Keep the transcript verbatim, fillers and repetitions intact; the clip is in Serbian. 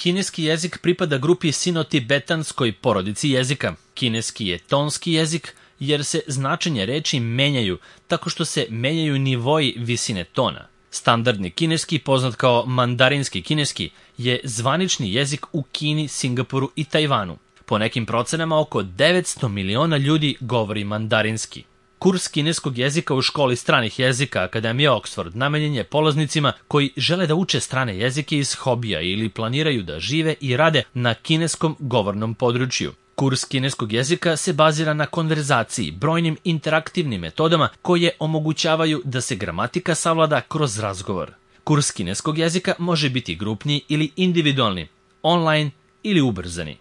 Kineski jezik pripada grupi sino-tibetanskoj porodici jezika. Kineski je tonski jezik jer se značenje reči menjaju tako što se menjaju nivoji visine tona. Standardni kineski, poznat kao mandarinski kineski, je zvanični jezik u Kini, Singapuru i Tajvanu. Po nekim procenama oko devetsto miliona ljudi govori mandarinski. Kurs kineskog jezika u školi stranih jezika Akademije Oxford namenjen je polaznicima koji žele da uče strane jezike iz hobija ili planiraju da žive i rade na kineskom govornom području. Kurs kineskog jezika se bazira na konverzaciji, brojnim interaktivnim metodama koje omogućavaju da se gramatika savlada kroz razgovor. Kurs kineskog jezika može biti grupni ili individualni, online ili ubrzani.